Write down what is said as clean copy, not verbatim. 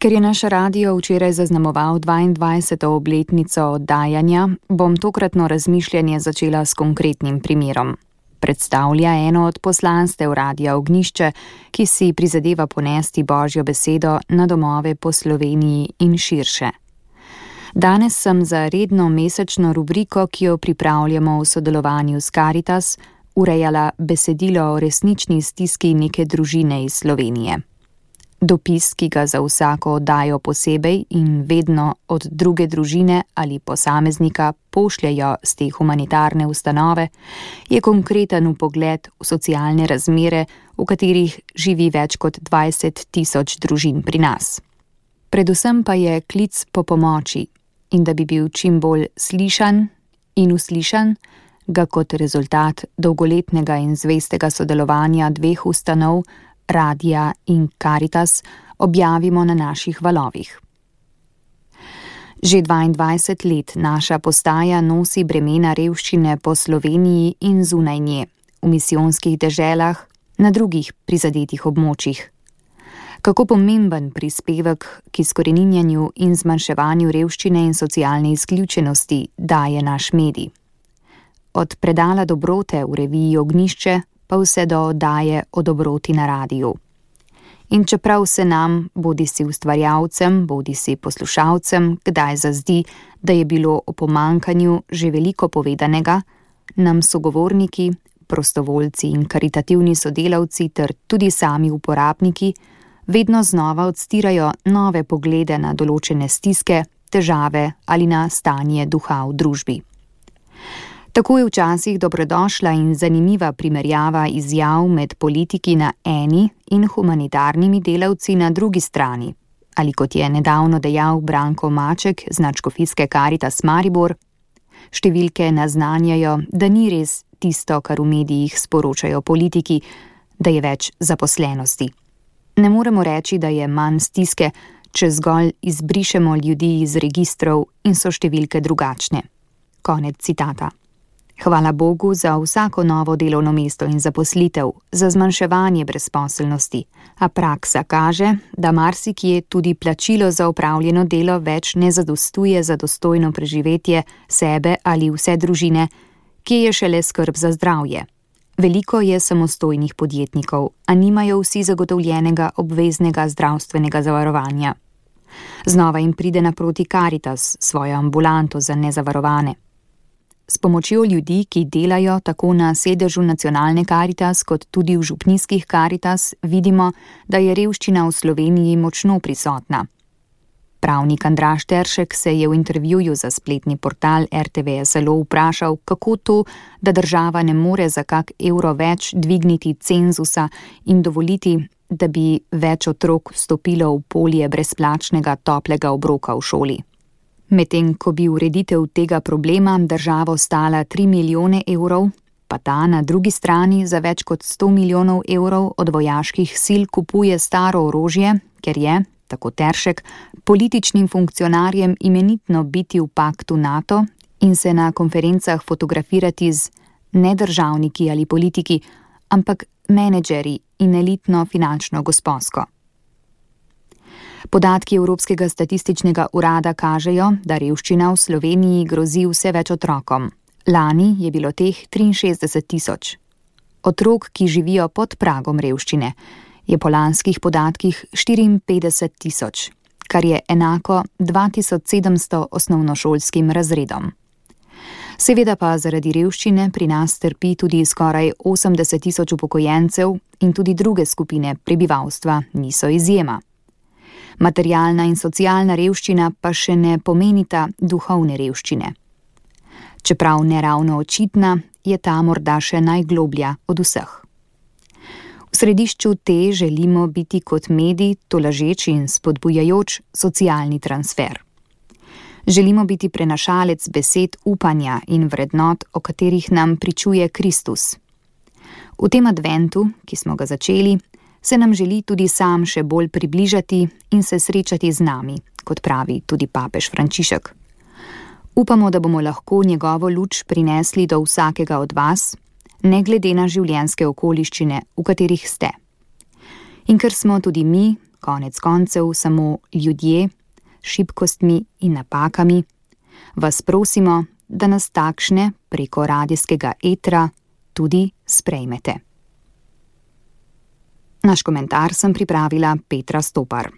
Ker je naš radio včeraj zaznamoval 22. obletnico oddajanja, bom tokratno razmišljanje začela s konkretnim primerom. Predstavlja eno od poslanstev Radia Ognjišče, ki si prizadeva ponesti Božjo besedo na domove po Sloveniji in širše. Danes sem za redno mesečno rubriko, ki jo pripravljamo v sodelovanju s Karitas, urejala besedilo o resnični stiski neke družine iz Slovenije. Dopis, ki ga za vsako oddajo posebej in vedno od druge družine ali posameznika pošljajo z te humanitarne ustanove, je konkreten vpogled v socialne razmere, v katerih živi več kot 20 tisoč družin pri nas. Predvsem pa je klic po pomoči in da bi bil čim bolj slišan in uslišan, ga kot rezultat dolgoletnega in zvestega sodelovanja dveh ustanov, Radia in Karitas, objavimo na naših valovih. Že 22 let naša postaja nosi bremena revščine po Sloveniji in zunaj nje, v misijonskih deželah, na drugih prizadetih območjih. Kako pomemben prispevek k izkoreninjanju in zmanjševanju revščine in socialne izključenosti daje naš medij. Od predala dobrote v reviji Ognjišče pa vse do oddaje o dobroti na radiju. In čeprav se nam, bodisi ustvarjalcem, bodisi poslušalcem, kdaj zazdi, da je bilo o pomankanju že veliko povedanega, nam sogovorniki, prostovoljci in karitativni sodelavci ter tudi sami uporabniki vedno znova odstirajo nove poglede na določene stiske, težave ali na stanje duha v družbi. Tako je včasih dobrodošla in zanimiva primerjava izjav med politiki na eni in humanitarnimi delavci na drugi strani. Ali kot je nedavno dejal Branko Maček z nadškofijske Karitas Maribor, številke naznanjajo, da ni res tisto, kar v medijih sporočajo politiki, da je več zaposlenosti. Ne moremo reči, da je manj stiske, če zgolj izbrišemo ljudi iz registrov in so številke drugačne. Konec citata. Hvala Bogu za vsako novo delovno mesto in zaposlitev, za zmanjševanje brezposelnosti, a praksa kaže, da marsikje tudi plačilo za opravljeno delo več ne zadostuje za dostojno preživetje sebe ali vse družine, ki je šele skrb za zdravje. Veliko je samostojnih podjetnikov, a nimajo vsi zagotovljenega obveznega zdravstvenega zavarovanja. Znova jim pride naproti Karitas, svojo ambulanto za nezavarovane. S pomočjo ljudi, ki delajo tako na sedežu nacionalne Karitas kot tudi v župnijskih Karitas, vidimo, da je revščina v Sloveniji močno prisotna. Pravnik Andraž Teršek se je v intervjuju za spletni portal RTV SLO vprašal, kako to, da država ne more za kak evro več dvigniti cenzusa in dovoliti, da bi več otrok vstopilo v polje brezplačnega toplega obroka v šoli. Medtem ko bi ureditev tega problema državo stala 3 milijone evrov, pa ta na drugi strani za več kot 100 milijonov evrov od vojaških sil kupuje staro orožje, ker je, tako Teršek, političnim funkcionarjem imenitno biti v paktu NATO in se na konferencah fotografirati z ne državniki ali politiki, ampak menedžerji in elitno finančno gospodsko. Podatki Evropskega statističnega urada kažejo, da revščina v Sloveniji grozi vse več otrokom. Lani je bilo teh 63 tisoč. Otrok, ki živijo pod pragom revščine, je po lanskih podatkih 54 tisoč, kar je enako 2700 osnovnošolskim razredom. Seveda pa zaradi revščine pri nas trpi tudi skoraj 80 tisoč upokojencev in tudi druge skupine prebivalstva niso izjema. Materialna in socialna revščina pa še ne pomenita duhovne revščine. Čeprav neravno očitna, je ta morda še najgloblja od vseh. V središču te želimo biti kot medij tolažeč in spodbujajoč socialni transfer. Želimo biti prenašalec besed upanja in vrednot, o katerih nam pričuje Kristus. V tem adventu, ki smo ga začeli, se nam želi tudi sam še bolj približati in se srečati z nami, kot pravi tudi papež Frančišek. Upamo, da bomo lahko njegovo luč prinesli do vsakega od vas, ne glede na življenjske okoliščine, v katerih ste. In ker smo tudi mi, konec koncev samo ljudje, s šibkostmi in napakami, vas prosimo, da nas takšne preko radijskega etra tudi sprejmete. Naš komentar sem pripravila Petra Stopar.